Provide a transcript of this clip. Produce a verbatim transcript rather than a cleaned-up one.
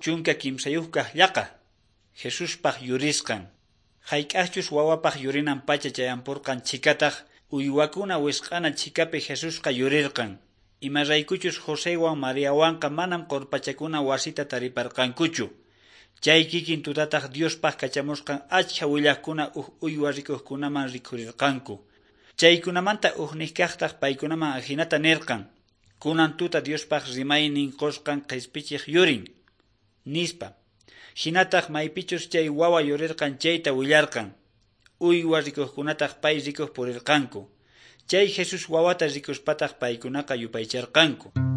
Chunka kimsayuqkaq llaqa Jesuspaq yurisqan. Hayk'aqchus wawapaq yurinan pacha chayampurqan chhikataq uywakuna wisq'ana chhikapi Jesusqa yurirqan. Imaraykuchus Josewan Mariawanqa manam qurpachakuna wasita tariparqankuchu. Chay kikin tutataq Diospaq kachamusqan achkha willaqkuna uj uywa rikuqkunaman rikhurirqanku. Chaykunamanta ujniqkaqtaq paykunaman ajinata nirqan: Kunan tuta Diospaq rimaynin qusqan qhispichiq yurin, nispa. Hinataq maypichus chay wawa yurirqan chayta willarqan. Uywa rikuqkunataq pay rikuq purirqanku. Chay Jesús wawata rikuspataq paykunaqa yupaycharqanku.